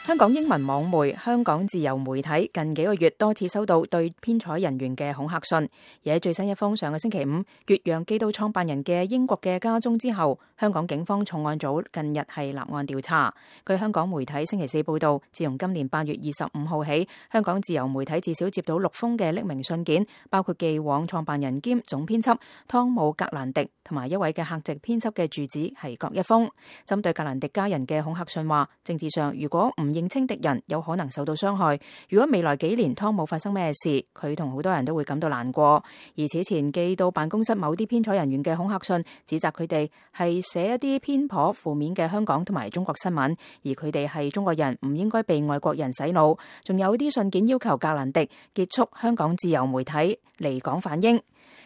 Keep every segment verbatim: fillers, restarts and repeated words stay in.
香港英文網媒香港自由媒體近幾個月多次收到對編採人員嘅恐嚇信，而喺最新一封上個星期五越洋寄到創辦人嘅英國嘅家中之後，香港警方重案組近日係立案調查。據香港媒體星期四報道，自從今年八月二十五號起，香港自由媒體至少接到六封嘅匿名信件，包括寄往創辦人兼總編輯湯姆格蘭迪同埋一位嘅客席編輯嘅住址係各一封。針對格蘭迪家人嘅恐嚇信話，政治上如果唔認清敵人，有可能受到傷害。如果未來幾年湯姆發生咩事，佢同好多人都會感到難過。而此前寄到辦公室某啲編採人員嘅恐嚇信，指責佢哋係寫一啲偏頗負面嘅香港同埋中國新聞，而佢哋係中國人，唔應該被外國人洗腦。仲有啲信件要求格蘭迪結束香港自由媒體，離港反英。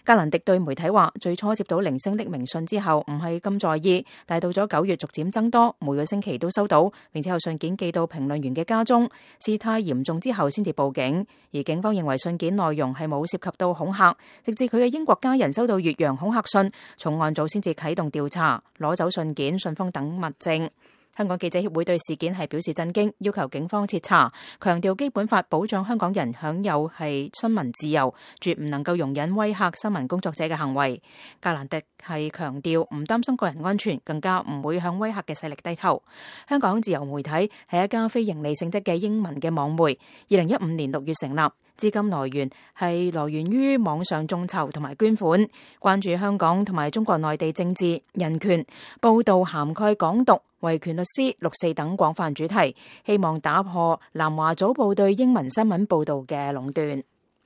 格蘭迪對媒體話，最初接到零星匿名信之後唔係咁在意，但係到咗九月逐漸增多，每個星期都收到，並且有信件寄到評論員嘅家中，事態嚴重之後先至報警。而警方認為信件內容係冇涉及到恐嚇，直至佢嘅英國家人收到越洋恐嚇信，重案組先至啟動調查，攞走信件、信封等物證。香港記者協會對事件係表示震驚，要求警方徹查，強調基本法保障香港人享有係新聞自由，絕唔能夠容忍威嚇新聞工作者嘅行為。格蘭迪係強調唔擔心個人安全，更加唔會向威嚇嘅勢力低頭。香港自由媒體係一家非營利性質嘅英文嘅網媒，二零一五年六月成立，資金來源係來源於網上眾籌同埋捐款，關注香港同埋中國內地政治、人權，報道涵蓋港獨、維權律師、六四等廣泛主題，希望打破南華早報對英文新聞報導嘅壟斷。